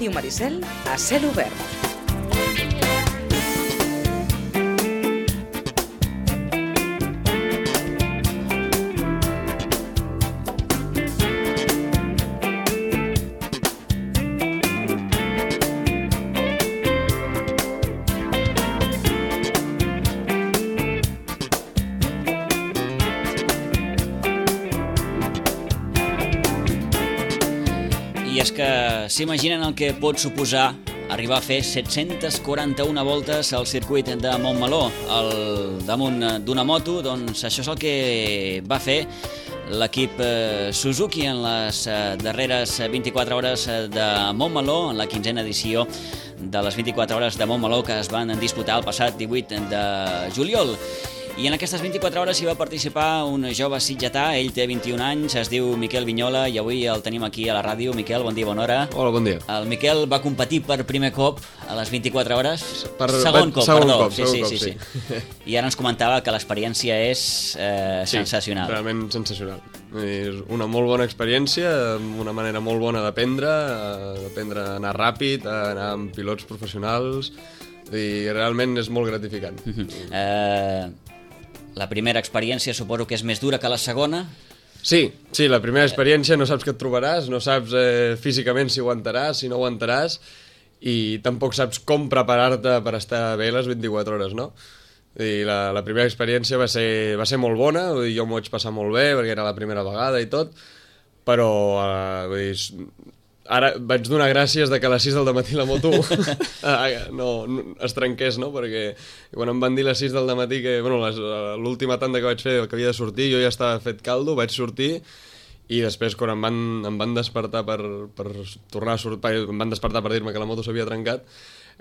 Ràdio Maricel a cel obert. I és que s'imaginen el que pot suposar arribar a fer 741 voltes al circuit de Montmeló al damunt d'una moto. Doncs això és el que va fer l'equip Suzuki en les darreres 24 hores de Montmeló, en la 15a edició de les 24 hores de Montmeló que es van disputar el passat 18 de juliol. I en aquestes 24 hores hi va participar un jove sitgetà, ell té 21 anys, es diu Miquel Vignola i avui el tenim aquí a la ràdio. Miquel, bon dia, bona hora. Hola, bon dia. El Miquel va competir per primer cop a les 24 hores? Segon cop. Sí. I ara ens comentava que l'experiència és sensacional. Sí, realment sensacional. És una molt bona experiència, una manera molt bona d'aprendre a anar ràpid, a anar amb pilots professionals, i realment és molt gratificant. La primera experiència suposo que és més dura que la segona? Sí, la primera experiència no saps què et trobaràs, no saps físicament si aguantaràs, si no aguantaràs, i tampoc saps com preparar-te per estar bé les 24 hores, no? I la primera experiència va ser molt bona, jo m'ho vaig passar molt bé perquè era la primera vegada i tot, però ara vaig donar gràcies que a les 6 del matí la moto no es trenqués, no? Perquè quan em van dir a les 6 del matí que l'última tanda que vaig fer que havia de sortir, jo ja estava fet caldo, vaig sortir, i després quan em van despertar per tornar a sortir, em van despertar per dir-me que la moto s'havia trencat,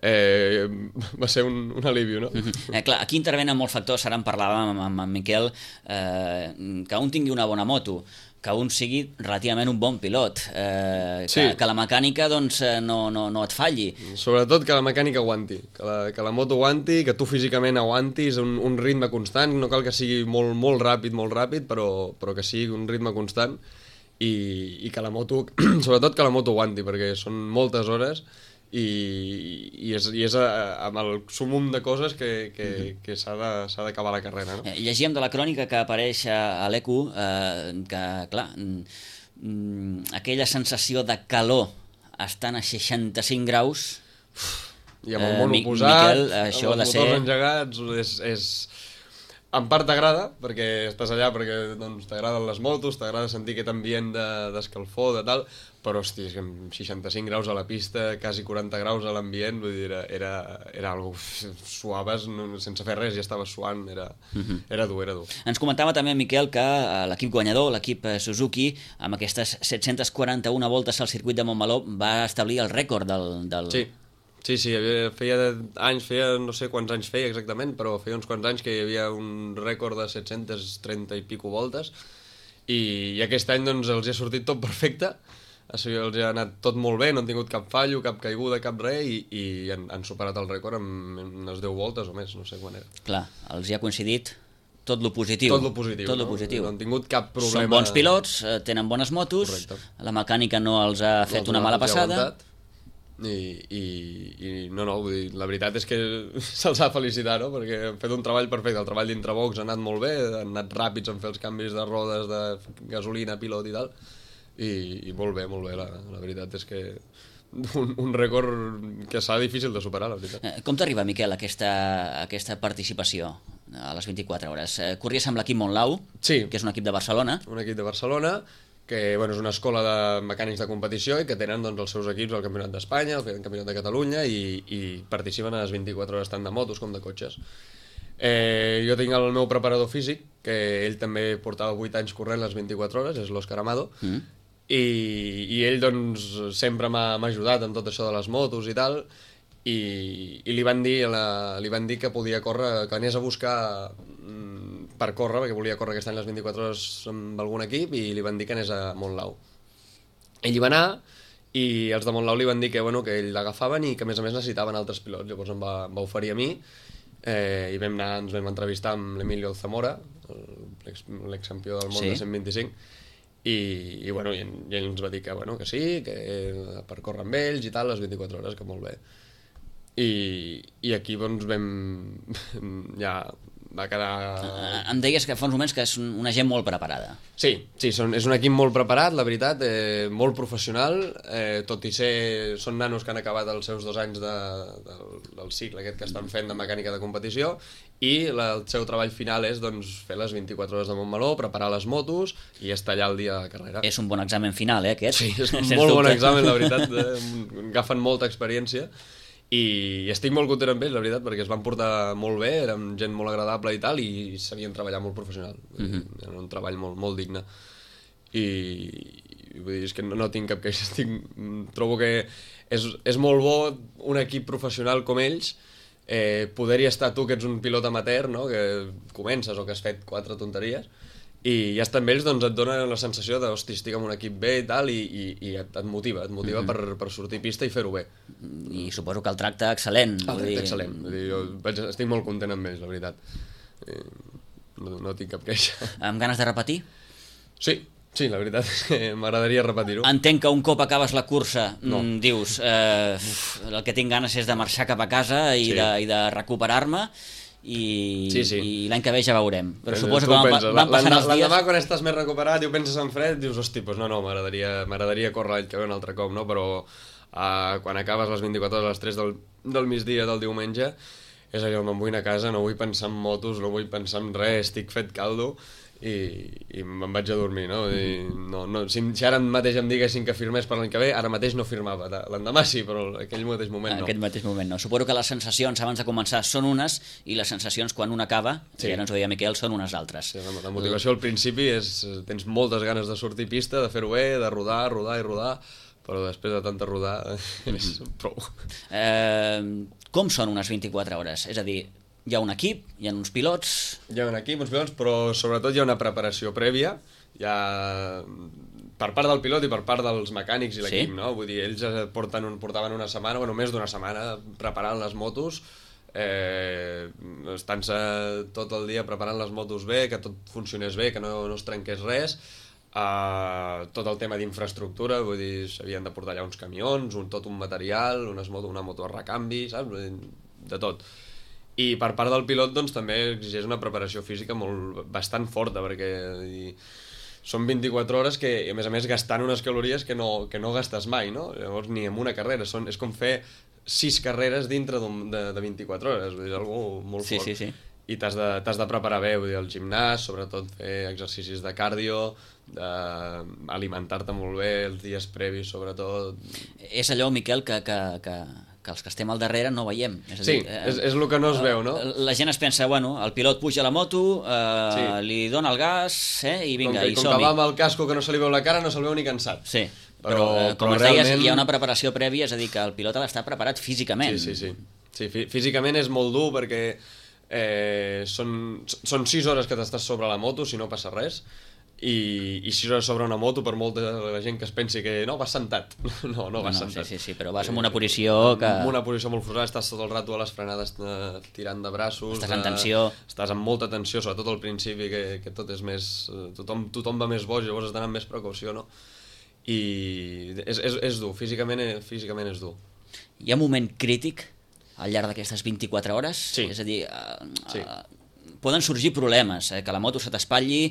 va ser un alivi, no? Clar, aquí intervenen molts factors, ara en parlàvem amb en Miquel, que un tingui una bona moto, que un sigui relativament un bon pilot, que la mecànica doncs, no et falli. Sobretot que la mecànica aguanti, que la moto aguanti, que tu físicament aguantis un ritme constant, no cal que sigui molt ràpid, però que sigui un ritme constant, i que la moto, sobretot que la moto aguanti, perquè són moltes hores, i és amb el sumum de coses que s'ha d'acabar la carrera, no? Llegíem de la crònica que apareix a l'ECU que, clar, aquella sensació de calor estant a 65 graus i amb el món oposat, Miquel, això amb els motors engegats, en part t'agrada, perquè estàs allà perquè t'agraden les motos, t'agrada sentir aquest ambient d'escalfor, de tal, però, hosti, amb 65 graus a la pista, quasi 40 graus a l'ambient, vull dir, era algo suaves, sense fer res, ja estaves suant, era dur. Ens comentava també Miquel que l'equip guanyador, l'equip Suzuki, amb aquestes 741 voltes al circuit de Montmeló, va establir el rècord del... Sí, feia no sé quants anys feia exactament, però feia uns quants anys que hi havia un rècord de 730 i pico voltes, i aquest any doncs els ha sortit tot perfecte, els ha anat tot molt bé, no han tingut cap fallo, cap caiguda, cap res, i han superat el rècord amb unes 10 voltes o més, no sé quan era. Clar, els hi ha coincidit tot lo positiu. Tot lo positiu. No han tingut cap problema. Són bons pilots, tenen bones motos. Correcte. La mecànica no els ha fet una mala passada. I no, vull dir, la veritat és que se'ls ha de felicitar, no? Perquè han fet un treball perfecte, el treball d'intrabox ha anat molt bé, han anat ràpids en fer els canvis de rodes, de gasolina, pilot i tal, i molt bé, la veritat és que un rècord que serà difícil de superar, la veritat. Com t'arriba, Miquel, aquesta participació a les 24 hores? Corries amb l'equip Montlau, sí, que és un equip de Barcelona. Un equip de Barcelona, que és una escola de mecànics de competició i que tenen els seus equips al Campionat d'Espanya, al Campionat de Catalunya, i participen a les 24 hores tant de motos com de cotxes. Jo tinc el meu preparador físic, que ell també portava 8 anys corrent les 24 hores, és l'Òscar Amado, i ell doncs sempre m'ha ajudat amb tot això de les motos i tal, i li van dir que podia córrer, que anés a buscar per córrer, perquè volia córrer aquest any les 24 hores amb algun equip, i li van dir que anés a Montlau. Ell hi va anar, i els de Montlau li van dir que ell l'agafaven i que a més necessitaven altres pilots. Llavors em va oferir a mi, i ens vam entrevistar amb l'Emilio Zamora, l'excampió del món de 125, i bueno, i ell ens va dir que, bueno, que sí, que per córrer amb ells i tal, les 24 hores, que molt bé. I aquí doncs ja va quedar... Em deies que fa uns moments que és una gent molt preparada. Sí, és un equip molt preparat, la veritat, molt professional, tot i ser... Són nanos que han acabat els seus 2 anys del cicle aquest que estan fent de mecànica de competició, i el seu treball final és doncs, fer les 24 hores de Montmeló, preparar les motos i estar allà el dia de la carrera. És un bon examen final, aquest? Sí, és un molt bon examen, la veritat, agafen molta experiència. I estic molt content amb ells, la veritat, perquè es van portar molt bé, érem gent molt agradable i tal, i sabien treballar molt professional. Era un treball molt digne. I vull dir, és que no tinc cap queixa. Trobo que és molt bo un equip professional com ells, poder-hi estar tu, que ets un pilot amateur, no? Que comences o que has fet 4 tonteries, i ja estar amb ells doncs, et dona la sensació de, hosti, estic amb un equip bé i tal, i et motiva per sortir a pista i fer-ho bé. I suposo que el tracte excel·lent. El tracte excel·lent. Vull dir, jo estic molt content amb ells, la veritat. No tinc cap queixa. Amb ganes de repetir? Sí, la veritat és que m'agradaria repetir-ho. Entenc que un cop acabes la cursa dius el que tinc ganes és de marxar cap a casa i de recuperar-me, i l'any que ve ja veurem. Però suposo que van passant els dies... L'endemà, quan estàs més recuperat i ho penses en fred, dius, hosti, doncs no, m'agradaria córrer l'any que ve un altre cop, no? Però quan acabes les 24 hores a les 3 del migdia del diumenge, és allò, me'n vull anar a casa, no vull pensar en motos, no vull pensar en res, estic fet caldo, i me'n vaig a dormir, no? Si ara mateix em diguessin que firmés per l'any que ve, ara mateix no firmava. L'endemà sí, però en aquell mateix moment no. En aquell mateix moment no. Suposo que les sensacions abans de començar són unes, i les sensacions quan un acaba, i ara ens ho deia Miquel, són unes altres. Sí, la motivació al principi és... Tens moltes ganes de sortir a pista, de fer-ho bé, de rodar, però després de tanta rodar és prou. Com són unes 24 hores? És a dir, hi ha un equip, hi ha uns pilots... Hi ha un equip, uns pilots, però sobretot hi ha una preparació prèvia, per part del pilot i per part dels mecànics i l'equip, no? Vull dir, ells portaven una setmana, més d'una setmana, preparant les motos, estant-se tot el dia preparant les motos bé, que tot funcionés bé, que no es trenqués res, tot el tema d'infraestructura, vull dir, s'havien de portar allà uns camions, tot un material, una moto a recanvi, saps? De tot. I per part del pilot doncs, també exigeix una preparació física bastant forta, perquè són 24 hores que, a més, gastant unes calories que no gastes mai, no? Llavors, ni en una carrera. És com fer 6 carreres dintre de 24 hores. Vull dir, és algo molt fort. Sí. I t'has de preparar bé, vull dir, el gimnàs, sobretot fer exercicis de cardio, alimentar-te molt bé els dies previs, sobretot. És allò, Miquel, que els que estem al darrere no veiem. És a dir, és el que no es veu, no? La gent es pensa, bueno, el pilot puja a la moto, li dona el gas, i vinga, i som-hi. Com que va amb el casco que no se li veu la cara, no se'l veu ni cansat. Sí, però com es deies, hi ha una preparació prèvia, és a dir, que el pilot ha d'estar preparat físicament. Sí, físicament és molt dur perquè són 6 hores que t'estàs sobre la moto, si no passa res, i 6 hores sobre una moto, per molta la gent que es pensi que no, vas sentat. No vas sentat. Sí, però vas en una posició que... En una posició molt forçada, estàs tot el rato a les frenades tirant de braços. Estàs en tensió. Estàs amb molta tensió, sobretot al principi, que tot és més... Tothom va més boig, llavors has d'anar amb més precaució, no? I és dur, físicament és dur. Hi ha un moment crític al llarg d'aquestes 24 hores? Sí. És a dir... poden sorgir problemes, que la moto se t'espatlli,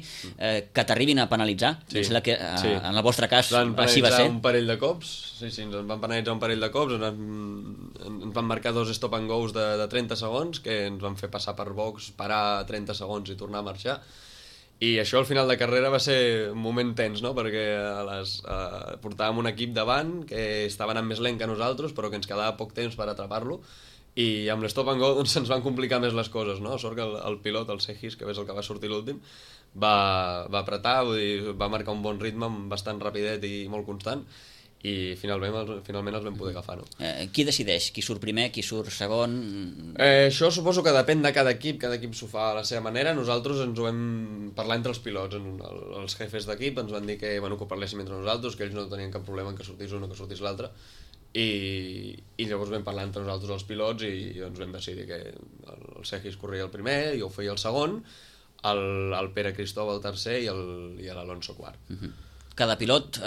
que t'arribin a penalitzar. Sí. Que en el vostre cas així va ser. Un parell de cops, ens van penalitzar un parell de cops, ens van marcar 2 stop and goes de 30 segons, que ens van fer passar per box, parar 30 segons i tornar a marxar. I això al final de carrera va ser un moment tens, no? Perquè portàvem un equip davant que estava anant més lent que nosaltres, però que ens quedava poc temps per atrapar-lo, i amb l'stop and go doncs, se'ns van complicar més les coses, no? Sort que el pilot, el Segis, que és el que va sortir l'últim, va apretar, vull dir, va marcar un bon ritme, bastant rapidet i molt constant, i finalment els vam poder agafar, no? Qui decideix? Qui surt primer, qui surt segon? Això suposo que depèn de cada equip s'ho fa a la seva manera. Nosaltres ens ho vam parlar entre els pilots, els jefes d'equip ens van dir que ho parléssim entre nosaltres, que ells no tenien cap problema en que sortís un o que sortís l'altre, i llavors vam parlar entre nosaltres els pilots i doncs vam decidir que el Segis corria el primer, jo feia el segon, el Pere Cristóbal el tercer i l'Alonso quart. cada pilot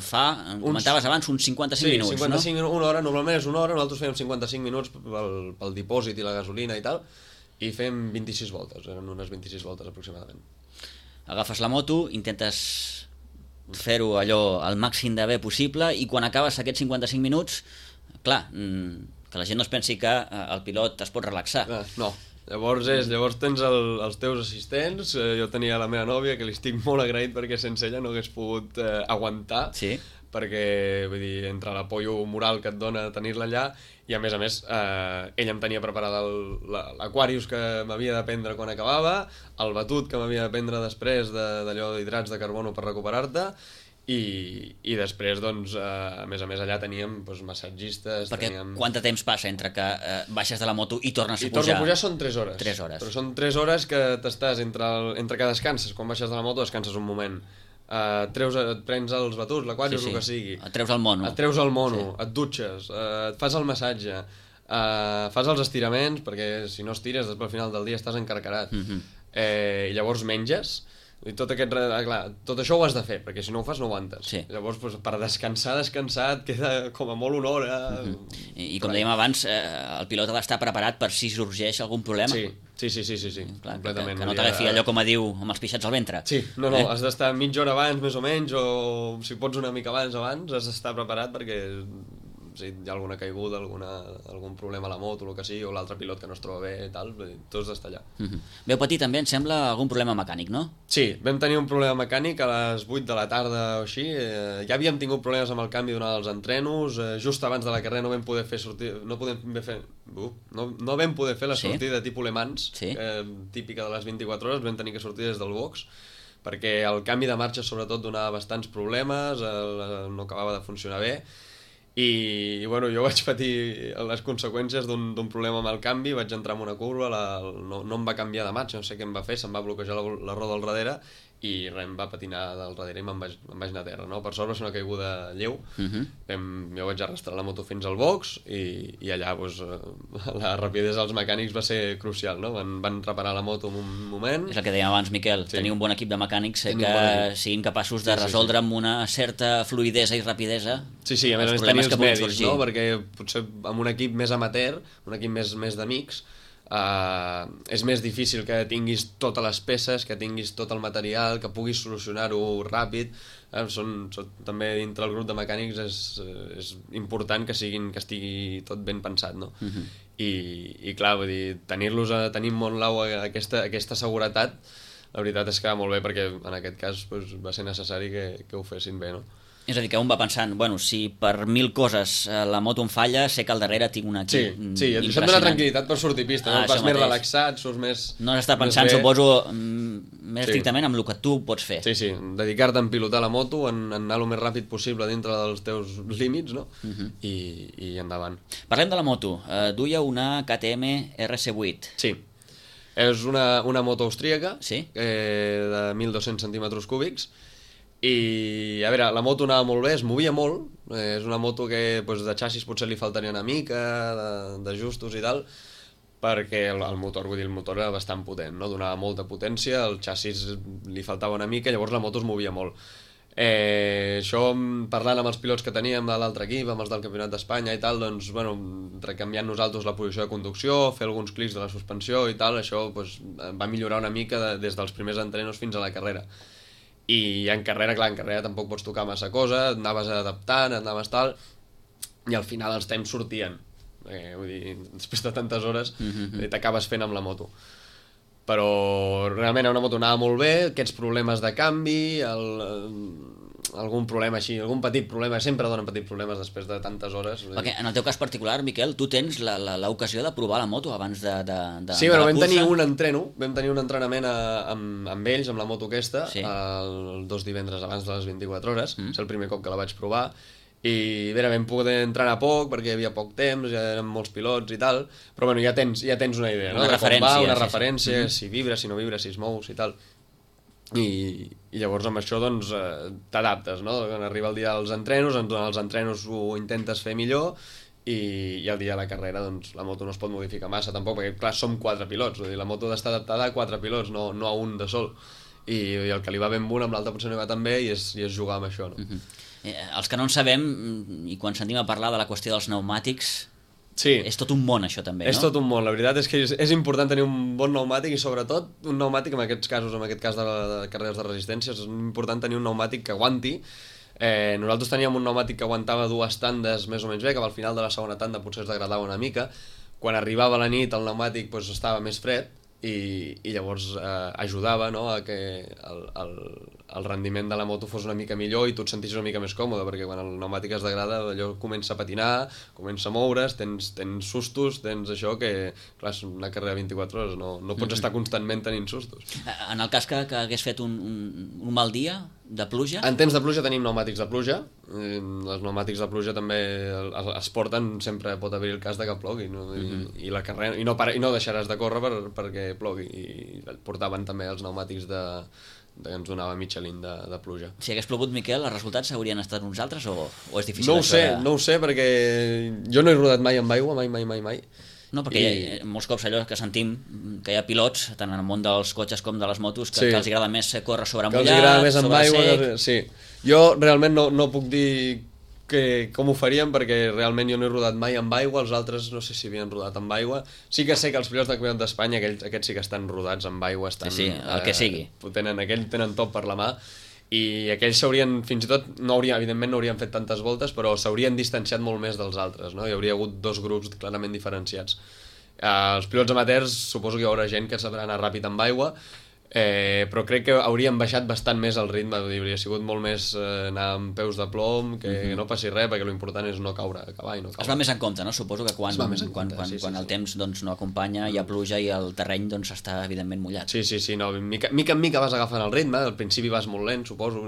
fa, comentaves abans, uns 55 minuts, 55, no? Una hora, normalment és una hora, nosaltres fèiem 55 minuts pel dipòsit i la gasolina i tal, i fem 26 voltes, eren unes 26 voltes aproximadament. Agafes la moto, intentes fer-ho allò al màxim de bé possible i quan acabes aquests 55 minuts, clar, que la gent no es pensi que el pilot es pot relaxar. No, llavors tens els teus assistents, jo tenia la meva nòvia que li estic molt agraït perquè sense ella no hagués pogut aguantar, sí. Perquè vull dir, entre l'apollo moral que et dona tenir-la allà i a més ella em tenia preparada l'Aquarius que m'havia de prendre quan acabava, el batut que m'havia de prendre després d'allò d'hidrats de carbono per recuperar-te i després, doncs, a més allà teníem massatgistes... Perquè teníem... quant de temps passa entre que baixes de la moto i tornes a pujar? I tornes a pujar són 3 hores. 3 hores. Però són 3 hores que t'estàs entre que descanses. Quan baixes de la moto descanses un moment. Et prens els batuts, l'Aquarius, el que sigui. Et treus el mono. Et dutxes, et fas el massatge, fas els estiraments, perquè si no estires, després al final del dia estàs encarcarat. I llavors menges... I tot això ho has de fer, perquè si no ho fas no aguantes. Sí. Llavors, per descansar et queda com a molt una hora. I com dèiem abans, el pilot ha d'estar preparat per si sorgeix algun problema. Sí, Clar, completament. Que no t'agafi allò com a diu amb els pixats al ventre. Sí, no, has d'estar mitja hora abans, més o menys, o si pots una mica abans, has d'estar preparat perquè... si hi ha alguna caiguda, algun problema a la moto, el que sigui, o l'altre pilot que no es troba bé i tal, tu has d'estar allà. Veu patir també, em sembla, algun problema mecànic, no? Sí, vam tenir un problema mecànic a les 8 de la tarda o així, ja havíem tingut problemes amb el canvi durant els entrenos, just abans de la carrera no vam poder fer la sortida tipus Le Mans, típica de les 24 hores, vam tenir que sortir des del box, perquè el canvi de marxa sobretot donava bastants problemes, no acabava de funcionar bé, i bueno, jo vaig patir les conseqüències d'un problema amb el canvi, vaig entrar en una curva, no em va canviar de marxa, no sé què em va fer, se'm va bloquejar la roda al darrere i em va patinar del darrere i me'n vaig anar a terra, no? Per sort va ser una caiguda lleu, jo vaig arrastrar la moto fins al box i allà la rapidesa dels mecànics va ser crucial, no? Van reparar la moto en un moment. És el que dèiem abans, Miquel, tenir un bon equip de mecànics que siguin capaços de resoldre amb una certa fluidesa i rapidesa a més tenir els mèdics, no? Perquè potser amb un equip més amateur, un equip més d'amics, és més difícil que tinguis totes les peces, que tinguis tot el material, que puguis solucionar-ho ràpid. També dintre el grup de mecànics és important que estigui tot ben pensat, no? I clar, vull dir, tenir en Montlau aquesta seguretat, la veritat és que va molt bé, perquè en aquest cas va ser necessari que ho fessin bé, no? És a dir, que un va pensant, bueno, si per 1000 coses la moto em falla, sé que al darrere tinc un equip impressionant. Això et dona tranquil·litat per sortir pista, no? Vas més relaxat, surts més... No has d'estar pensant, suposo, més estrictament amb el que tu pots fer. Sí, dedicar-te a pilotar la moto, en anar el més ràpid possible dintre dels teus límits, no? I endavant. Parlem de la moto. Duia una KTM RC8. Sí. És una moto austríaca de 1.200 centímetres cúbics. I a veure, la moto anava molt bé, es movia molt, és una moto que de xassis potser li faltaria una mica d'ajustos i tal, perquè el motor era bastant potent, no? Donava molta potència, el xassis li faltava una mica, llavors la moto es movia molt. Això, parlant amb els pilots que teníem de l'altre equip, amb els del Campionat d'Espanya i tal, doncs, bueno, recanviant nosaltres la posició de conducció, fer alguns clics de la suspensió i tal, això va millorar una mica des dels primers entrenos fins a la carrera. I en carrera tampoc pots tocar massa cosa, et anaves adaptant, tal, i al final els temps sortien. Vull dir, després de tantes hores t'acabes fent amb la moto. Però realment una moto anava molt bé, aquests problemes de canvi, algun problema així, algun petit problema, sempre donen petits problemes després de tantes hores. Perquè en el teu cas particular, Miquel, tu tens l'ocasió de provar la moto abans de sí, bueno, vam tenir un entrenament amb ells, amb la moto aquesta, els 2 divendres abans de les 24 hores, és el primer cop que la vaig provar, i bé, vam poder entrenar poc perquè hi havia poc temps, ja eren molts pilots i tal, però bueno, ja tens una idea, no? Una referència, si vibra, si no vibra, si es mou, si tal. I llavors amb això doncs t'adaptes, no? Quan arriba el dia dels entrenos, durant els entrenos ho intentes fer millor i el dia de la carrera doncs la moto no es pot modificar massa tampoc, perquè clar, som 4 pilots, vull dir, la moto ha d'estar adaptada a 4 pilots, no a un de sol. i el que li va ben amb un, amb l'altre potser no li va tan bé, i és jugar amb això, no? Els que no en sabem, i quan sentim a parlar de la qüestió dels pneumàtics, Sí. És tot un món això també, no? És tot un món, la veritat és que és important tenir un bon pneumàtic, i sobretot un pneumàtic, en aquests casos, en aquest cas de carreres de resistència, és important tenir un pneumàtic que aguanti. Nosaltres teníem un pneumàtic que aguantava 2 tandes més o menys bé, que al final de la segona tanda potser es degradava una mica. Quan arribava la nit el pneumàtic doncs, estava més fred, i llavors ajudava, no, a que el rendiment de la moto fos una mica millor i tu et sentissis una mica més còmode, perquè quan el pneumàtic es degrada allò comença a patinar, comença a moure's, tens sustos, tens això que, clar, és una carrera de 24 hores, no pots estar constantment tenint sustos. En el cas que hagués fet un mal dia de pluja? En temps de pluja tenim pneumàtics de pluja. Els pneumàtics de pluja també es porten, sempre pot haver el cas de que plogui, no? I la carrera, i no deixaràs de córrer perquè plogui, i portaven també els pneumàtics que ens donava Michelin de pluja. Si hagués plogut, Miquel, els resultats haurien estat uns altres o és difícil? No ho sé, perquè jo no he rodat mai amb aigua, mai. No, perquè hi ha molts cops allò que sentim que hi ha pilots, tant en el món dels cotxes com de les motos, que els agrada més córrer sobre mullat, que els agrada més amb aigua, sec. Sí. Jo realment no puc dir com ho faríem, perquè realment jo no he rodat mai amb aigua, els altres no sé si havien rodat amb aigua. Sí que sé que els pilots del Campionat d'Espanya, aquests sí que estan rodats amb aigua, sí, el que sigui. Aquells tenen tot per la mà, i aquells s'haurien, fins i tot, evidentment no haurien fet tantes voltes, però s'haurien distanciat molt més dels altres, no? Hi hauria hagut 2 grups clarament diferenciats. Els pilots amateurs suposo que hi haurà gent que sabrà anar ràpid amb aigua, però crec que haurien baixat bastant més el ritme, hauria sigut molt més anar amb peus de plom, que no passi res, perquè l'important és no caure, acabar i no caure. Es va més en compte, no? Suposo que quan el temps doncs, no acompanya, hi ha pluja i el terreny doncs, està evidentment mullat. Sí, no, mica en mica vas agafant el ritme, al principi vas molt lent, suposo,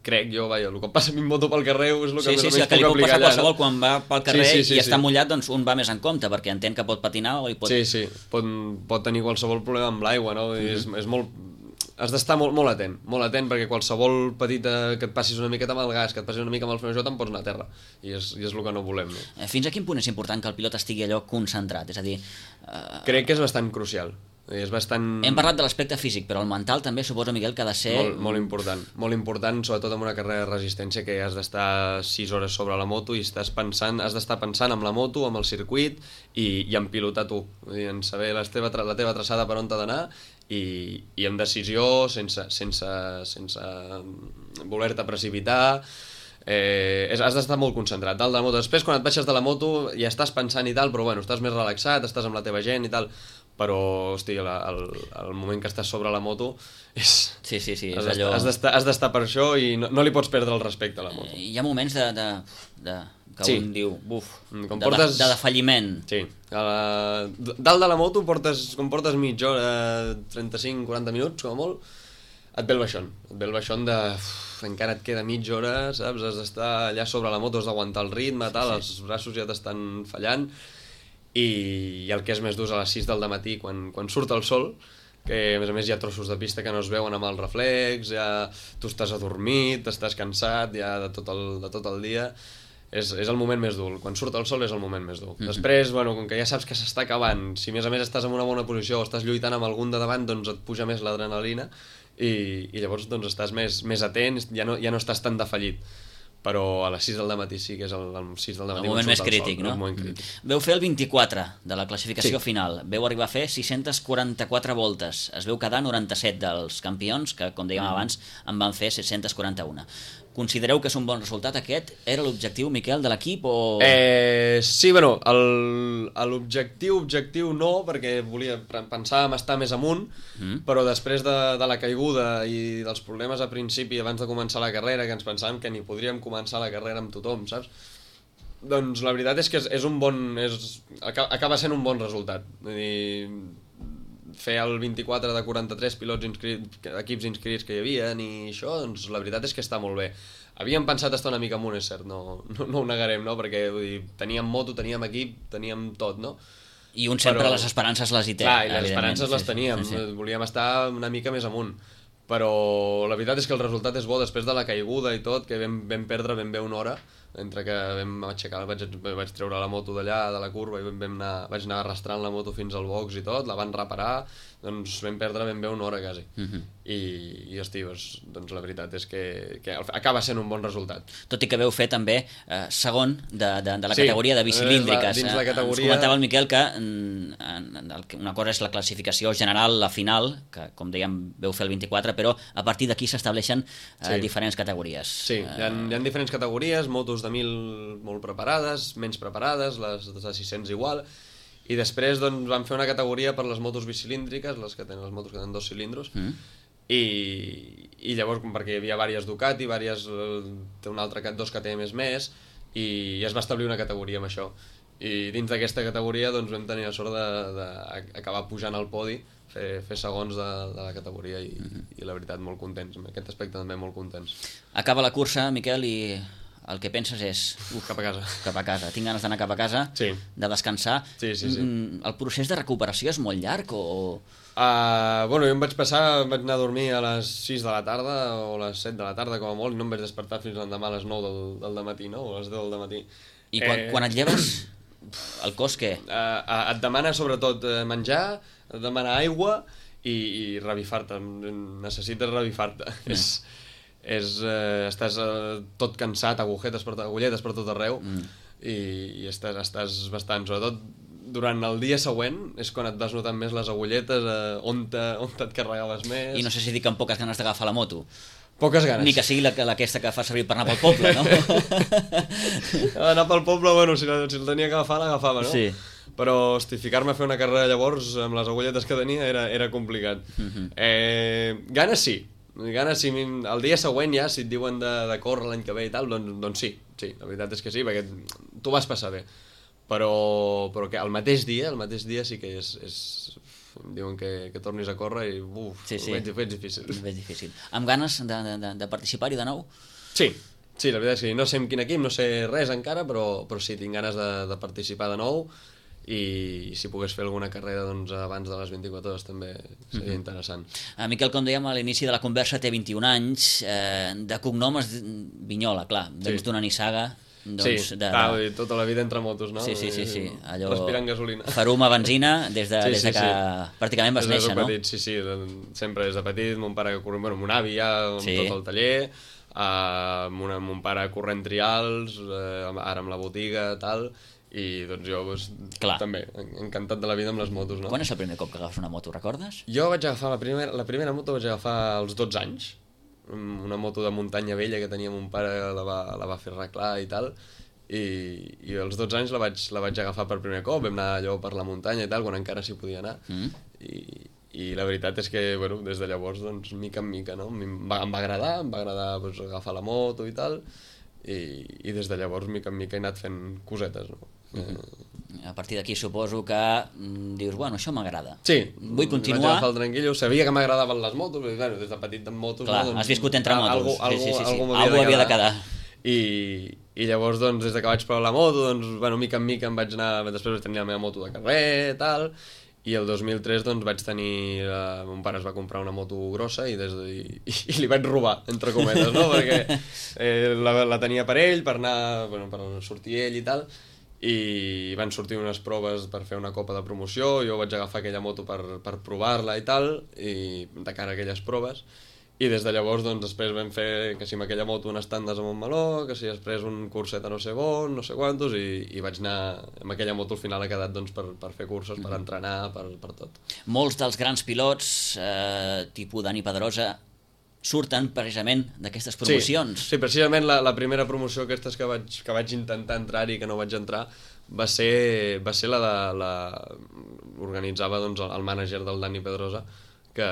crec jo, el que passa a mi en moto pel carrer és el que més o menys que li pot passar allà, qualsevol quan va pel carrer i està mullat, doncs un va més en compte, perquè entén que pot patinar o hi pot... Sí, pot tenir qualsevol problema amb l'aigua, no? És molt... Has d'estar molt atent, perquè qualsevol petita que et passis una miqueta amb el gas, que et passis una mica amb el frenejó, te'n pots anar a terra, i és el que no volem, no? Fins a quin punt és important que el pilot estigui allò concentrat? És a dir... Crec que és bastant crucial. Hem parlat de l'aspecte físic, però el mental també suposa, Miquel, que ha de ser... Molt important, sobretot en una carrera de resistència, que has d'estar 6 hores sobre la moto i has d'estar pensant en la moto, amb el circuit i en pilotar tu, en saber la teva traçada per on t'ha d'anar, i amb decisió, sense voler-te precipitar. Has d'estar molt concentrat dalt de la moto. Després, quan et baixes de la moto, ja estàs pensant i tal, però bueno, estàs més relaxat, estàs amb la teva gent i tal, però, hosti, el moment que estàs sobre la moto és... Sí, és allò... Has d'estar per això i no li pots perdre el respecte a la moto. Hi ha moments que un diu, de defalliment. Sí, dalt de la moto, com portes mitja hora, 35-40 minuts, com a molt, et ve el baixón de... encara et queda mitja hora, saps? Has d'estar allà sobre la moto, has d'aguantar el ritme, tal, els braços ja t'estan fallant, i el que és més dur és a les 6 del matí, quan surt el sol, que a més hi ha trossos de pista que no es veuen amb el reflex, ja tu estàs adormit, estàs cansat ja de tot el dia. És el moment més dur, quan surt el sol és el moment més dur. Després, com que ja saps que s'està acabant, si a més estàs en una bona posició o estàs lluitant amb algun de davant, doncs et puja més l'adrenalina i llavors doncs estàs més atent, ja no estàs tan defallit. Però a les 6 del matí sí que és el 6 del matí. El moment més crític, no? Veu fer el 24 de la classificació final, veu arribar a fer 644 voltes, es veu quedar 97 dels campions, que com dèiem abans en van fer 741. Considereu que és un bon resultat aquest? Era l'objectiu, Miquel, de l'equip o...? Sí, l'objectiu no, perquè pensàvem estar més amunt, però després de la caiguda i dels problemes a principi, abans de començar la carrera, que ens pensàvem que ni podríem començar la carrera amb tothom, saps? Doncs la veritat és que acaba sent un bon resultat. Vull dir, fer el 24 de 43 equips inscrits que hi havia i això, doncs la veritat és que està molt bé. Havíem pensat estar una mica amunt, és cert, no ho negarem, no? Perquè vull dir, teníem moto, teníem equip, teníem tot, no? I un sempre les esperances les hi té. Clar, i les esperances les teníem, volíem estar una mica més amunt, però la veritat és que el resultat és bo després de la caiguda i tot, que vam perdre ben bé una hora, entre que vam aixecar, vaig treure la moto d'allà, de la curva, i vaig anar arrastrant la moto fins al box i tot, la van reparar, doncs vam perdre ben bé una hora quasi. I hosti, doncs la veritat és que acaba sent un bon resultat. Tot i que veu fer també segon de la categoria de bicilíndriques. Dins la categoria... Ens comentava el Miquel que una cosa és la classificació general, la final, que com dèiem veu fer el 24, però a partir d'aquí s'estableixen diferents categories. Sí, hi ha diferents categories, motos de 1.000 molt preparades, menys preparades, les de 600 igual, i després doncs, van fer una categoria per les motos bicilíndriques, les motos que tenen 2 cilindros, i llavors, perquè hi havia diverses Ducati, té una altra, 2 KTMs més, i es va establir una categoria amb això. I dins d'aquesta categoria doncs, vam tenir la sort d'acabar pujant al podi, fer segons de la categoria, i la veritat molt contents, en aquest aspecte també molt contents. Acaba la cursa, Miquel, i el que penses és... Cap a casa. Cap a casa. Tinc ganes d'anar cap a casa, de descansar. Sí. El procés de recuperació és molt llarg o...? Bueno, jo vaig anar a dormir a les 6 de la tarda o a les 7 de la tarda com a molt, i no em vaig despertar fins l'endemà a les 9 del matí, no? O a les 10 del matí. I quan et lleves, el cos què? Et demana sobretot menjar, et demana aigua i revifar-te. Necessites revifar-te. Estàs tot cansat, agulletes per tot arreu, i estàs bastant, sobretot durant el dia següent és quan et vas notant més les agulletes, on et carregaves més. I no sé si dic amb poques ganes d'agafar la moto. Poques ganes. Ni que sigui aquesta que fa servir per anar pel poble, no? Anar pel poble, bueno, si el tenia que agafar, l'agafava, no? Sí. Però, hosti, ficar-me a fer una carrera llavors amb les agulletes que tenia era complicat. Ganes sí. El dia següent ja, si et diuen de córrer l'any que ve i tal, doncs sí, la veritat és que sí, perquè t'ho vas passar bé. Però que el mateix dia sí que em diuen que tornis a córrer i ho veig difícil. Ho veig difícil. Amb ganes de participar-hi de nou? Sí, la veritat és que no sé en quin equip, no sé res encara, però sí, tinc ganes de participar de nou, i si pogués fer alguna carrera doncs, abans de les 24 hores també seria interessant. Miquel, com dèiem a l'inici de la conversa, té 21 anys, de cognom és Vignola, clar, vens d'una Nissaga. Doncs, tota la vida entre motos, no? Sí. Allò... Respirant gasolina. Farum a benzina des de que pràcticament vas néixer, no? Petit, sí, sempre des de petit, mon pare corrent, bueno, mon avi ja amb tot el taller, mon pare corrent trials, ara amb la botiga, tal, i doncs jo també, encantat de la vida amb les motos, no? Quan és el primer cop que agafes una moto, recordes? Jo vaig agafar la primera moto vaig agafar als 12 anys, una moto de muntanya vella que tenia mon pare, la va fer arreglar i tal, i als 12 anys la vaig agafar per primer cop, vam anar allò per la muntanya i tal, quan encara s'hi podia anar, i la veritat és que, bueno, des de llavors, doncs, mica en mica, no? Em va agradar doncs, agafar la moto i tal, i des de llavors, mica en mica, he anat fent cosetes, no? A partir d'aquí suposo que dius, bueno, això m'agrada. Sí, vull continuar. Vaig agafar el tranquil·lo, sabia que m'agradaven les motos, però bueno, des de petit en motos... Clar, no, doncs, has viscut entre motos. Algú havia de quedar. I llavors, doncs, des que vaig provar la moto, doncs, bueno, mica en mica em vaig anar... Després vaig tenir la meva moto de carrer, tal, i el 2003, doncs, vaig tenir... Mon pare es va comprar una moto grossa i li vaig robar, entre cometes, no? Perquè la tenia per ell, per anar... Bueno, per sortir ell i tal, i van sortir unes proves per fer una copa de promoció, jo vaig agafar aquella moto per provar-la i tal, i de cara a aquelles proves, i des de llavors doncs després vam fer que si amb aquella moto un estandes a Montmeló, que si després un curset a no sé on, no sé quantos, i vaig anar amb aquella moto al final ha quedat doncs per fer cursos, per entrenar, per tot. Molts dels grans pilots, tipus Dani Pedrosa, surten precisament d'aquestes promocions. Sí, precisament la primera promoció aquestes que vaig intentar entrar-hi i que no vaig entrar va ser organitzava doncs, el mànager del Dani Pedrosa que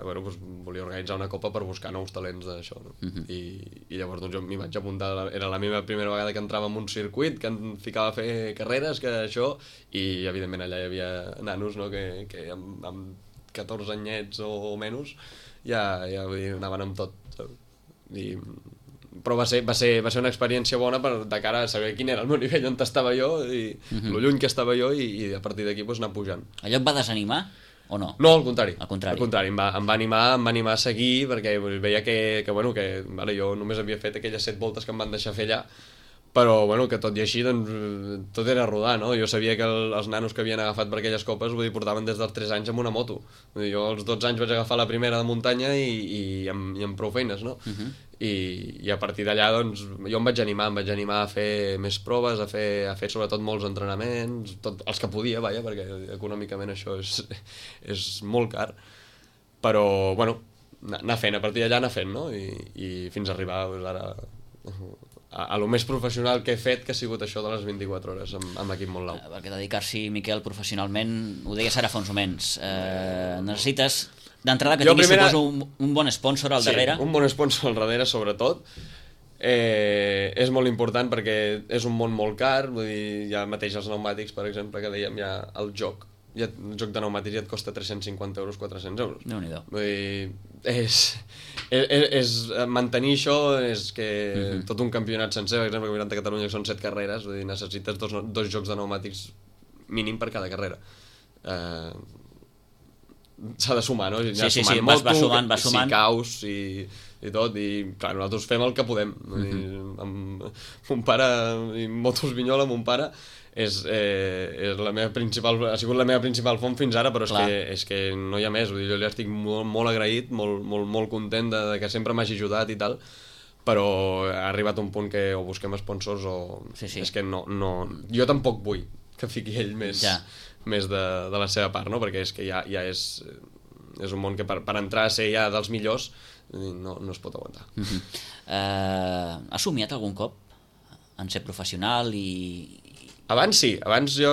bueno, doncs, volia organitzar una copa per buscar nous talents d'això, no? I llavors doncs, jo m'hi vaig apuntar, era la meva primera vegada que entrava en un circuit, que em ficava a fer carreres, que això, i evidentment allà hi havia nanos, no? que amb 14 anyets o menys ja anaven amb tot, però va ser una experiència bona de cara a saber quin era el meu nivell, on estava jo i lo lluny que estava jo, i a partir d'aquí doncs, anar pujant. Allò et va desanimar? o no? No, al contrari. Al contrari. Al contrari, em va animar a seguir, perquè veia que vale, jo només havia fet aquelles 7 voltes que em van deixar fer allà, però bueno, que tot i així doncs, tot era rodar, no? Jo sabia que els nanos que havien agafat per aquelles copes portaven des dels 3 anys amb una moto. Vull dir, jo als 12 anys vaig agafar la primera de muntanya i amb prou feines, no? I a partir d'allà doncs, jo em vaig animar a fer més proves, a fer sobretot molts entrenaments, els que podia, vaja, perquè econòmicament això és molt car, però bueno, anar fent, a partir d'allà anar fent, no? I fins a arribar doncs, ara a lo més professional que he fet, que ha sigut això de les 24 hores amb l'equip Montlau. Perquè dedicar-s'hi, Miquel, professionalment, ho deies ara fa uns moments, necessites d'entrada que tinguis, suposo, un bon sponsor al darrere. Sí, un bon sponsor al darrere, sobretot. És molt important perquè és un món molt car, vull dir, ja mateix els pneumàtics, per exemple, que dèiem, ja el joc de pneumàtics ja et costa 350 euros, 400 euros. Déu-n'hi-do. Vull dir, mantenir això és que tot un campionat sencer, per exemple, el Campionat de Catalunya, que són 7 carreres, vull dir, necessites dos jocs de pneumàtics mínim per cada carrera. S'ha de sumar, no? Sí, moto, va sumant. Si caus i tot, i clar, nosaltres fem el que podem. Amb mon pare, i motos Vinyola, mon pare, és la meva ha sigut la meva principal font fins ara, però és que no hi ha més. Vull dir, jo li estic molt agraït, molt content de que sempre m'hagi ajudat i tal, però ha arribat un punt que o busquem sponsors o... És que no, jo tampoc vull que fiqui ell més de la seva part, no? Perquè és que ja és un món que per entrar a ser ja dels millors no es pot aguantar. Has somiat algun cop en ser professional i... Abans sí, abans jo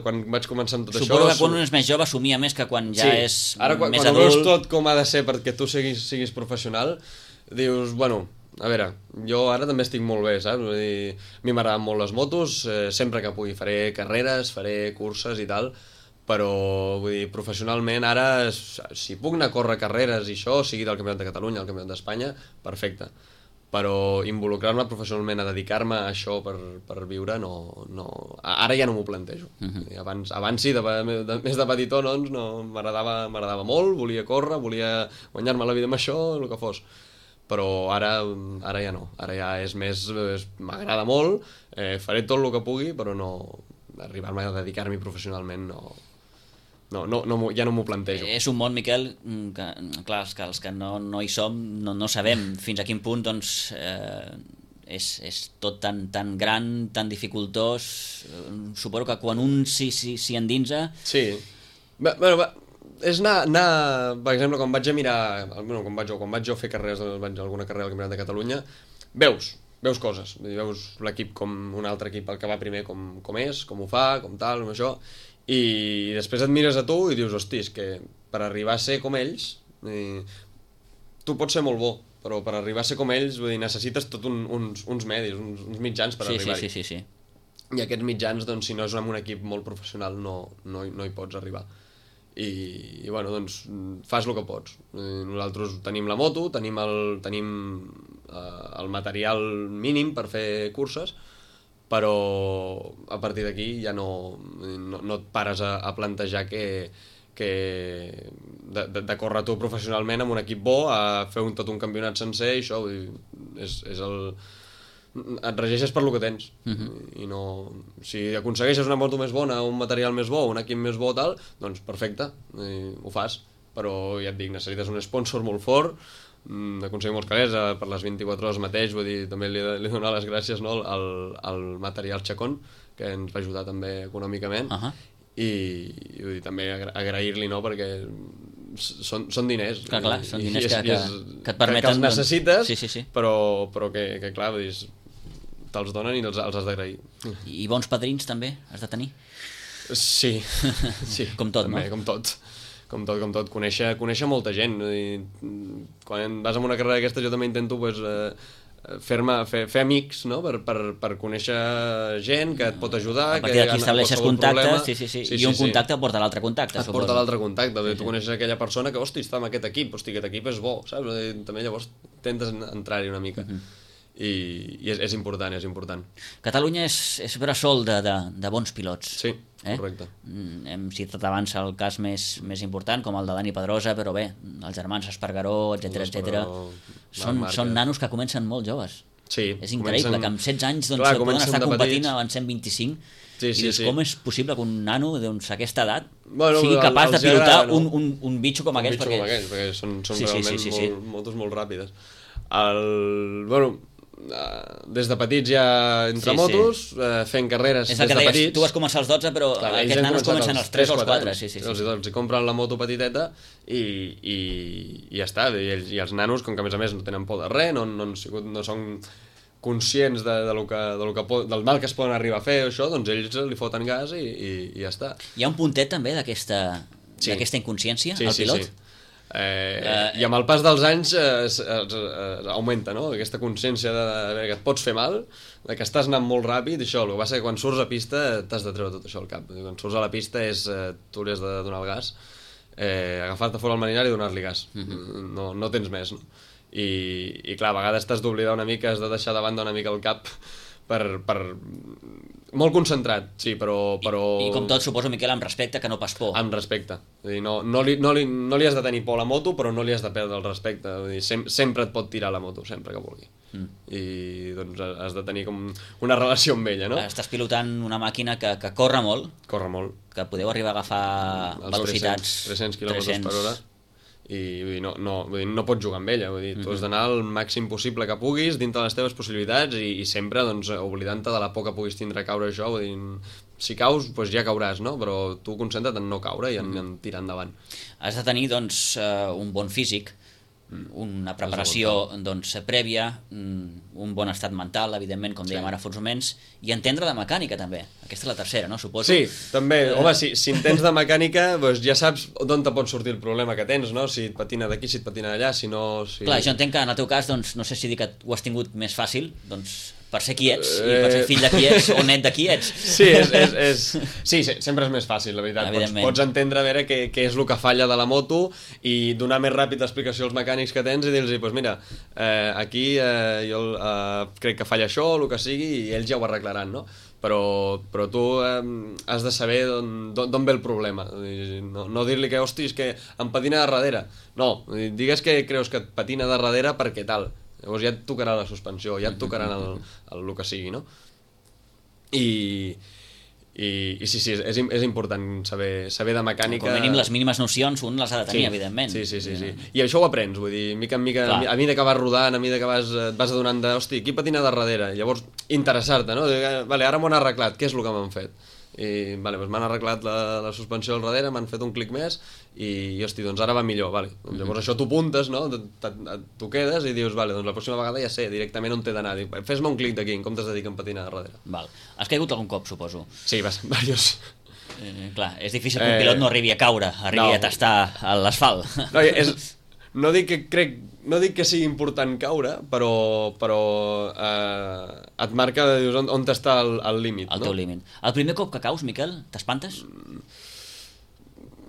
quan vaig començar amb tot això... Suposo que quan un és més jove somia més que quan ja és ara, més adult. Ara quan veus tot com ha de ser perquè tu siguis professional, dius, bueno, a veure, jo ara també estic molt bé, saps? Vull dir, a mi m'agraden molt les motos, sempre que pugui faré carreres, faré curses i tal, però vull dir, professionalment ara, si puc anar a córrer carreres i això, sigui del Campionat de Catalunya, del Campionat d'Espanya, perfecte. Però involucrar-me professionalment a dedicar-me a això per viure, ara ja no m'ho plantejo. Abans sí, més de petitó, doncs, m'agradava molt, volia córrer, volia guanyar-me la vida amb això, el que fos. Però ara ja no, ara ja és més, m'agrada molt, faré tot el que pugui, però no arribar-me a dedicar-m'hi professionalment ja no m'ho plantejo. És un món, Miquel, que clar, els que no hi som no sabem fins a quin punt doncs, és tot tan gran, tan dificultós. Suposo que quan un s'hi endinsa... Sí, bueno, és anar, per exemple, quan vaig a mirar, quan vaig jo a fer carreres, alguna carrera al Campionat de Catalunya, veus coses, veus l'equip com un altre equip, el que va primer com és, com ho fa, com tal, com això, i després et mires a tu i dius, hosti, és que per arribar a ser com ells, tu pots ser molt bo, però per arribar a ser com ells necessites tot uns medis, uns mitjans per arribar-hi. Sí. I aquests mitjans, doncs, si no és amb un equip molt professional, no hi pots arribar. I bueno, doncs, fas el que pots. Nosaltres tenim la moto, tenim el material mínim per fer curses, però a partir d'aquí ja no et pares a plantejar que de córrer tu professionalment amb un equip bo, a fer tot un campionat sencer, i això et regeixes per lo que tens. I no, si aconsegueixes una moto més bona, un material més bo, un equip més bo, tal, doncs perfecte, ho fas, però ja et dic, necessites un sponsor molt fort, d'aconseguir molts calés per les 24 hores mateix. Vull dir, també li donar les gràcies, no, al material Chacón, que ens va ajudar també econòmicament, i vull dir, també agrair-li, no, perquè són diners. Clar, són diners que et permeten... Que els necessites, sí. però que clar, vull dir, te'ls donen i els has d'agrair. I bons padrins també has de tenir? Sí. Com tot, també, no? Com tot, conèixer molta gent. Quan vas a una carrera d'aquesta jo també intento fer amics, no? Per conèixer gent que et pot ajudar. A partir d'aquí estableixes contactes, i un contacte porta l'altre contacte. Et porta l'altre contacte, tu coneixes aquella persona que, hosti, està en aquest equip és bo, saps? També llavors intentes entrar-hi una mica. i és important, és important. Catalunya és bressol de bons pilots. Sí, correcte. Hem citat abans el cas més important, com el de Dani Pedrosa, però bé, els germans Espargaró, etc. Són nanos que comencen molt joves. Sí, és increïble que amb 16 anys poden estar competint en 125. Sí, i dius, com és possible que un nano a aquesta edat bueno, sigui capaç de pilotar un bitxo com aquest? Perquè són realment motos molt ràpides. Des de petits ja entre motos, fent carreres des de petits. Tu vas començar als 12, però aquests nanos comencen als 3 o als 4. Els compren la moto petiteta i ja està. I els nanos, com que a més no tenen por de res, no són conscients del mal que es poden arribar a fer, això, doncs ells li foten gas i ja està. Hi ha un puntet també d'aquesta inconsciència al pilot? Sí. I amb el pas dels anys augmenta, no? Aquesta consciència que et pots fer mal, que estàs anant molt ràpid, això, el que passa que quan surts a pista t'has de treure tot això al cap. Quan surts a la pista tu li has de donar el gas, agafar-te fora el manillar i donar-li gas. No tens més, no? I clar, a vegades t'has d'oblidar una mica, has de deixar de banda una mica el cap per molt concentrat, sí, però... I com tot, suposo, Miquel, amb respecte, que no pas por. Amb respecte. Vull dir, no li has de tenir por a la moto, però no li has de perdre el respecte. Vull dir, sempre et pot tirar la moto, sempre que vulgui. I doncs has de tenir com una relació amb ella, no? Estàs pilotant una màquina que corre molt. Corre molt. Que podeu arribar a agafar velocitats... 300 km per hora. I no pots jugar amb ella, vull dir, tu has d'anar al màxim possible que puguis dintre de les teves possibilitats i sempre doncs, oblidant-te de la por que puguis tindre a caure això, vull dir, si caus doncs ja cauràs, no? Però tu concentra't en no caure i en tirar endavant. Has de tenir doncs un bon físic, una preparació doncs, prèvia, un bon estat mental, evidentment, com dèiem ara fa uns moments, i entendre de mecànica també. Aquesta és la tercera, no? Suposo. Sí, també. Home, si entens de mecànica, doncs ja saps d'on te pot sortir el problema que tens, no? Si et patina d'aquí, si et patina d'allà, si no... Clar, jo entenc que en el teu cas, doncs, no sé si dir que ho has tingut més fàcil, doncs, per ser qui ets, i per ser fill de qui ets, o net de qui ets. Sí, sempre és més fàcil, la veritat. Pots entendre a veure què és el que falla de la moto i donar més ràpid explicació als mecànics que tens i dir-los, doncs mira, aquí jo crec que falla això, o el que sigui, i ells ja ho arreglaran, no? Però tu has de saber d'on ve el problema. No dir-li que, hosti, és que em patina de darrere. No, digues que creus que et patina de darrere perquè tal. Llavors ja et tocarà la suspensió, ja et tocarà el que sigui, no? I sí, és important saber de mecànica. Com a mínim les mínimes nocions un les ha de tenir, evidentment. Sí. I això ho aprens, vull dir, mica en mica, a mesura que vas rodant, a mesura que et vas adonant de, hosti, qui patina darrere? Llavors, interessar-te, no? Vale, ara m'ho han arreglat, què és el que m'han fet? I vale, doncs m'han arreglat la suspensió al darrere, m'han fet un clic més i hosti, doncs ara va millor, vale. Llavors això t'ho apuntes, no? Tu quedes i dius, vale, doncs la pròxima vegada ja sé directament on t'he d'anar. Fes-me un clic d'aquí en comptes de dir que em patina darrere. Val. Has caigut algun cop, suposo? Sí, diversos. Clar, és difícil que un pilot no arribi a caure, arribi a tastar l'asfalt. No dic que sigui important caure, però et marca on està el límit. El teu límit. El primer cop que caus, Miquel, t'espantes?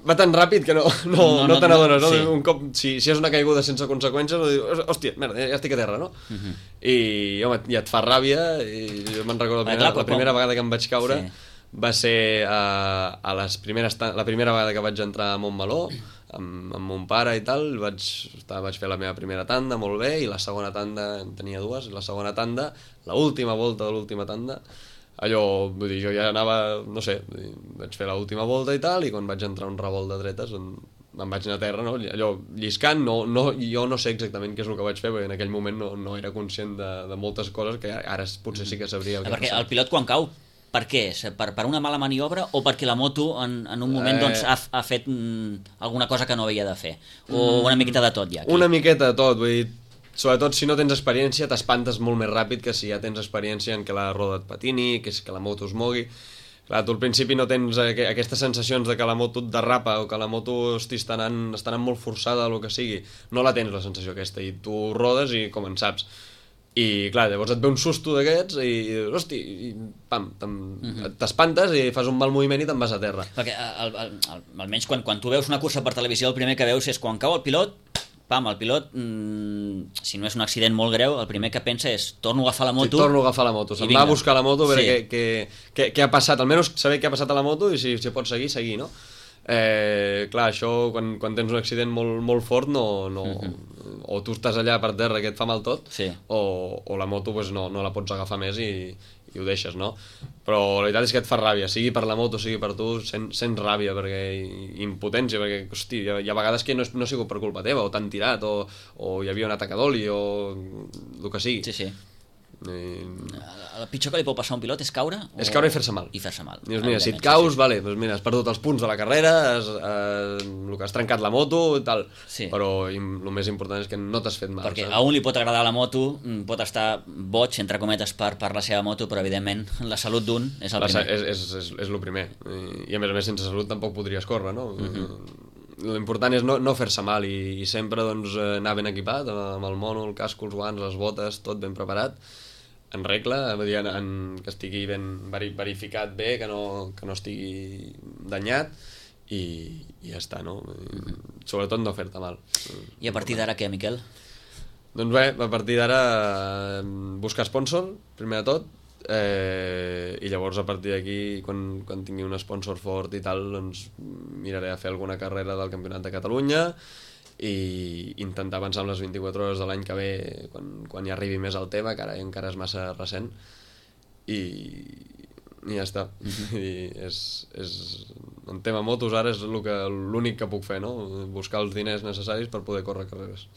Va tan ràpid que no te n'adones, no? Sí. Un cop, si és una caiguda sense conseqüències, hòstia, merda, ja estic a terra, no? I, home, ja et fa ràbia, i jo me'n recordo la primera vegada que em vaig caure va ser la primera vegada que vaig entrar a Montmeló, amb mon pare i tal, vaig fer la meva primera tanda molt bé, i la segona tanda, en tenia dues, la segona tanda, l'última volta de l'última tanda, allò, vull dir, jo ja anava, no sé, vaig fer l'última volta i tal, i quan vaig entrar un revolt de dretes em vaig anar a terra, no? Allò lliscant, jo no sé exactament què és el que vaig fer, perquè en aquell moment no era conscient de moltes coses que ara potser sí que sabria el que perquè el pilot quan cau, per què és? Per una mala maniobra o perquè la moto en un moment doncs, ha fet alguna cosa que no havia de fer? O una miqueta de tot ja? Aquí? Una miqueta de tot, vull dir, sobretot si no tens experiència t'espantes molt més ràpid que si ja tens experiència en què la roda et patini, que la moto es mogui. Clar, tu al principi no tens aquestes sensacions de que la moto et derrapa o que la moto està anant molt forçada o el que sigui. No la tens la sensació aquesta i tu rodes i com en saps. I clar, llavors et ve un susto d'aquests i dius, hosti, i pam, t'espantes i fas un mal moviment i te'n vas a terra. Perquè almenys quan tu veus una cursa per televisió el primer que veus és quan cau el pilot, pam, el pilot, si no és un accident molt greu, el primer que pensa és torno a agafar la moto. Sí, torno a agafar la moto, se'n va a buscar la moto a veure què ha passat, almenys saber què ha passat a la moto i si pot seguir, no? Clar, això quan tens un accident molt fort o tu estàs allà per terra que et fa mal tot, o la moto pues, no la pots agafar més i ho deixes, no? Però la veritat és que et fa ràbia, sigui per la moto, sigui per tu, sents ràbia i impotència, perquè, hosti, hi ha vegades que no ha sigut per culpa teva, o t'han tirat, o hi havia un atac a d'oli, o el que sigui. Sí. El pitjor que li pot passar a un pilot és caure? És caure i fer-se mal. Dius, mira, si et caus, vale, doncs mira, has perdut els punts de la carrera, el que has trencat la moto i tal, però el més important és que no t'has fet mal. Perquè a un li pot agradar la moto, pot estar boig, entre cometes, per la seva moto, però evidentment la salut d'un és el primer. És el primer, i a més sense salut tampoc podries córrer, no? L'important és no fer-se mal i sempre doncs, anar ben equipat, amb el mono, el casco, els guants, les botes, tot ben preparat, en regla, que estigui ben verificat bé, que no estigui danyat i ja està, no? Sobretot no fer-te mal. I a partir d'ara què, Miquel? Doncs bé, a partir d'ara buscar sponsor, primer de tot, i llavors a partir d'aquí quan tingui un sponsor fort i tal, doncs miraré a fer alguna carrera del Campionat de Catalunya i intentar avançar amb les 24 hores de l'any que ve quan hi arribi més al tema, que ara encara és massa recent, i ja està. I en tema motos ara és l'únic que puc fer, no? Buscar els diners necessaris per poder córrer carreres.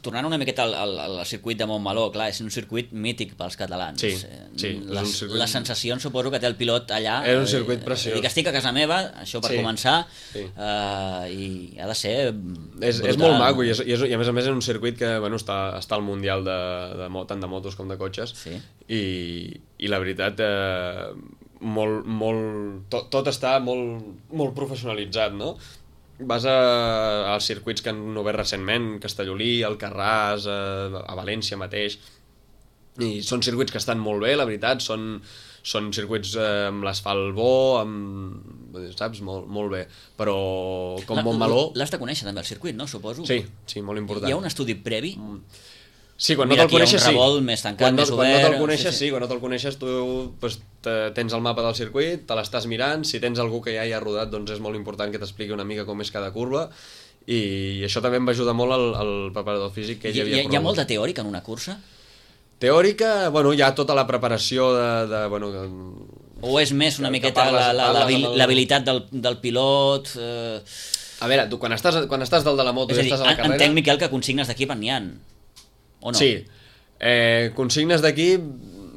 Tornant una miqueta al circuit de Montmeló, clar, és un circuit mític pels catalans. Sí. Les sensacions suposo que té el pilot allà. És un circuit preciós. Dic, estic a casa meva, això per començar, i ha de ser brutal. És molt maco i a més és un circuit que està al Mundial tant de motos com de cotxes, i la veritat tot està molt professionalitzat, no? Vas als circuits que han obert recentment, Castellolí, Alcarràs, a València mateix, i són circuits que estan molt bé, la veritat, són circuits amb l'asfalt bo, saps? Molt bé, però com Montmeló... L'has de conèixer també el circuit, no? Suposo. Sí, molt important. Hi ha un estudi previ? Sí, quan no te'l coneixes, sí. Més tancat, més obert... Quan no te'l coneixes, tu tens el mapa del circuit, te l'estàs mirant, si tens algú que ja hi ha rodat, doncs és molt important que t'expliqui una mica com és cada curva, i això també em va ajudar molt el preparador físic que ell havia corregut. Hi ha molta teòrica en una cursa? Teòrica, hi ha tota la preparació o és més una miqueta l'habilitat del pilot... A veure, tu quan estàs dalt de la moto i estàs a la carrera... Entenc, Miquel, que consignes d'equip n'hi ha, o no? Sí, consignes d'equip,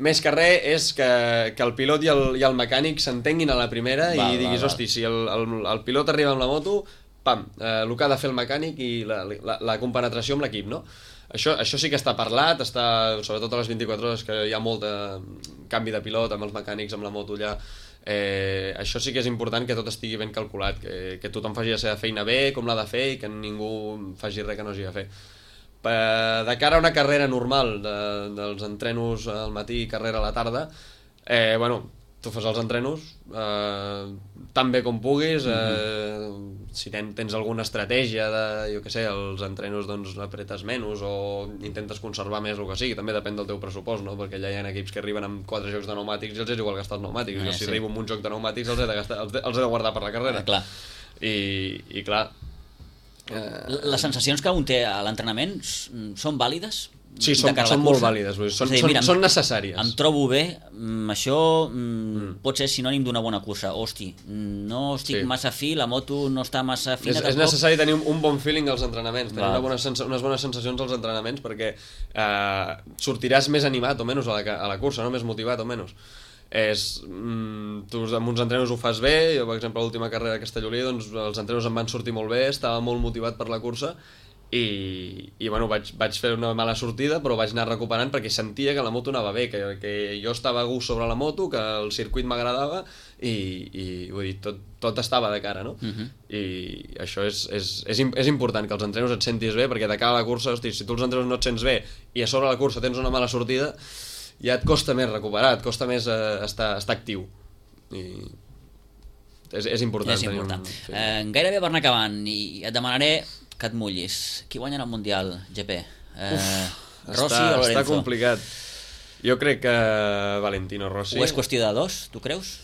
més que res, és que el pilot i el mecànic s'entenguin a la primera i diguis, hosti, si el pilot arriba amb la moto, pam, el que ha de fer el mecànic i la compenetració amb l'equip, no? Això sí que està parlat, sobretot a les 24 hores que hi ha molt canvi de pilot amb els mecànics, amb la moto allà. Això sí que és important, que tot estigui ben calculat, que tothom faci la seva feina bé, com l'ha de fer, i que ningú faci res que no hagi de fer. De cara a una carrera normal, dels entrenos al matí i carrera a la tarda, tu fas els entrenos tan bé com puguis, si tens alguna estratègia jo què sé, els entrenos doncs apretes menys o intentes conservar més el que sigui, també depèn del teu pressupost, no? Perquè allà hi ha equips que arriben amb 4 jocs de pneumàtics i els és igual gastar els pneumàtics, si arribo amb un joc de pneumàtics els he de guardar per la carrera. Clar. I clar, les sensacions que un té a l'entrenament són vàlides? Sí, són molt vàlides, són necessàries. Em trobo bé, això pot ser sinònim d'una bona cursa. Hosti, no estic massa fi, la moto no està massa fina. És necessari tenir un bon feeling als entrenaments, tenir unes bones sensacions als entrenaments, perquè sortiràs més animat o menys a la cursa, no? Més motivat o menys. Tu amb uns entrenos ho fas bé. Jo, per exemple, l'última carrera de Castellolí, doncs els entrenos em van sortir molt bé, estava molt motivat per la cursa i vaig fer una mala sortida, però vaig anar recuperant perquè sentia que la moto anava bé, que jo estava a gust sobre la moto, que el circuit m'agradava i vull dir, tot estava de cara, no? I això és important, que els entrenos et sentis bé, perquè de cara a la cursa, hosti, si tu els entrenos no et sents bé i a sobre la cursa tens una mala sortida, ja et costa més recuperar, et costa més estar actiu. I és important. Gairebé per anar acabant, i et demanaré que et mullis. Qui guanya el Mundial, GP? Rossi o Lorenzo? Està complicat. Jo crec que Valentino Rossi... O és qüestió de dos, tu creus?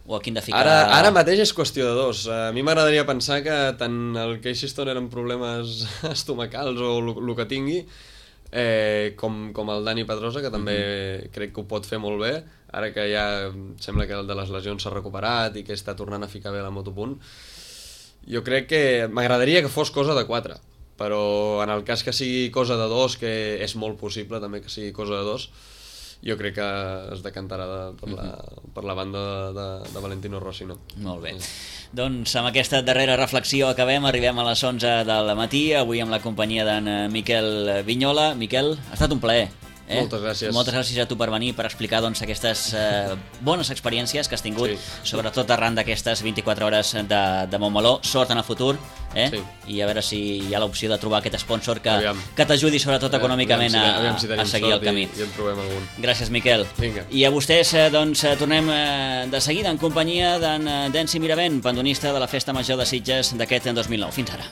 O a quin de ficar... Ara mateix és qüestió de dos. A mi m'agradaria pensar que tant el Casey Stoner amb problemes estomacals o el que tingui, com el Dani Pedrosa, que també crec que ho pot fer molt bé, ara que ja sembla que el de les lesions s'ha recuperat i que està tornant a ficar bé la motopunt. Jo crec que m'agradaria que fos cosa de 4, però en el cas que sigui cosa de 2, que és molt possible també que sigui cosa de 2, jo crec que es decantarà per la banda de Valentino Rossi, no? Molt bé. Doncs amb aquesta darrera reflexió arribem a les 11 del matí, avui amb la companyia d'en Miquel Vignola. Miquel, ha estat un plaer. Moltes gràcies. Moltes gràcies a tu per venir, per explicar aquestes bones experiències que has tingut, sobretot arran d'aquestes 24 hores de Montmeló. Sort en el futur, i a veure si hi ha l'opció de trobar aquest sponsor que t'ajudi sobretot econòmicament a seguir el camí. I en trobem algun. Gràcies, Miquel. Vinga. I a vostès tornem de seguida en companyia d'en Densi Miravent, pandonista de la Festa Major de Sitges d'aquest 2009. Fins ara.